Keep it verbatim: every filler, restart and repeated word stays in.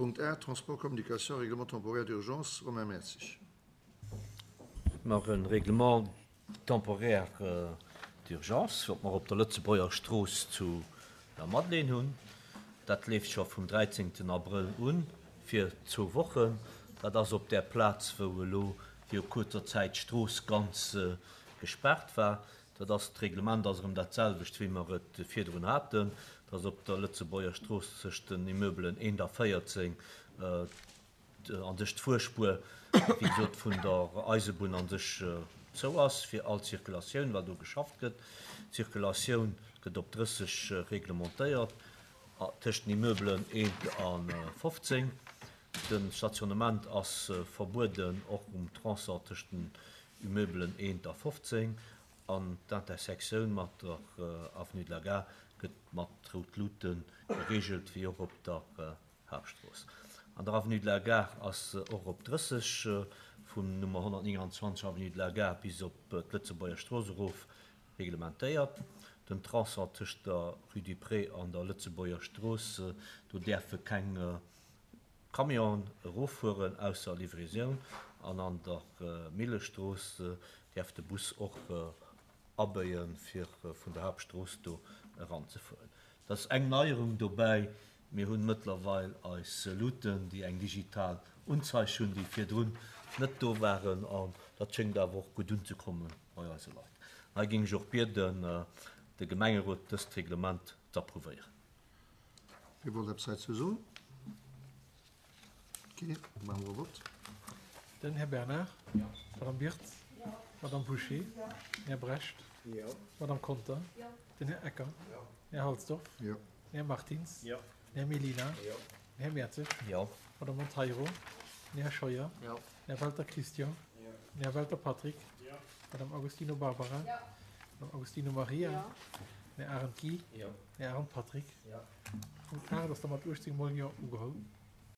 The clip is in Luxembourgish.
Punkt aacht, Transport, Communication, Règlement temporaire d'urgence, Romain Mertzig. Mer e Règlement temporaire d'urgence, wat mer op der Lëtzebuerger Strooss zu der Madeleine hunn. Dat leeft scho vum dräizéngten Abrëll un fir zwou Wochen. Dat ass op där Plaz, wou elo viru kuerzer Zäit d'Strooss ganz gespaart war. Dat ass, d'Reglement ass erëm dat selwecht, wéi mer et virdrun haten. Dat ass op der Lëtzebuerger Strooss tëscht den Immeubelen eent a véierzéng, an sech d'Fuerspuer, wéi gesot, vun der Eisebunn an sech zou ass fir all Zirkulatioun, well do geschafft gëtt. D'Zirkulatioun gëtt op drësseg reglementéiert tëscht den Immeubelen eent a fofzéng. De Stationnement ass verbueden och um Tronçon tëscht den Immeubelen eent a fofzéng. An d'Intersektioun mat der Avenue de la Gare gëtt mat rout Luute gereegelt, wéi och op der Haaptstrooss. An der Avenue de la Gare ass och op drësseg, vum Nummer honnertnénganzwanzeg Avenue de la Gare bis op d'Lëtzebuerger Strooss erof, reglementéiert. Den Tronçon tëscht der Rue du Pré an der Lëtzebuerger Strooss, do däerfe keng Camionen eroffueren, ausser Livraisoun. An an der Millestrooss däerf de Bus och abéien, fir vun der Haaptstrooss do eranzefueren. Dat ass eng Neierung dobäi. Mir hunn mëttlerweil eis Luuten, déi eng digital Unzeig hunn, déi virdrun net do waren. An dat schéngt awer och gutt unzekomme bei eise Leit. Hei géing ech och bieden, de Gemengerot dëst Reglement z'approuvéieren. Wie wollt eppes heizou soen? Ok, da maache mer e Vott. Den Här Bernard. Jo. D'Madame Birtz. Jo. D'Madame Bouché. Jo. Den Här Brecht. Jo. D'Madame Conter. Jo. Den Här Ecker. Jo. Den Här Halsdorf. Jo. Den Här Martins. Jo. Den Här Mellina. Jo. Den Här Mertzig. Jo. D'Madame Monteiro. Den Här Scheuer. Jo. Den Här Welter Christian. Jo. Den Här Welter Patrick. Jo. D'Madame Agostino Barbara. Jo. D'Madame Agostino Maria. Jo. Den Här Arendt Guy. Jo. Den Här Arendt Patrick. Jo. Punkt aacht ass da mat uechtzéng mol Jo ugeholl.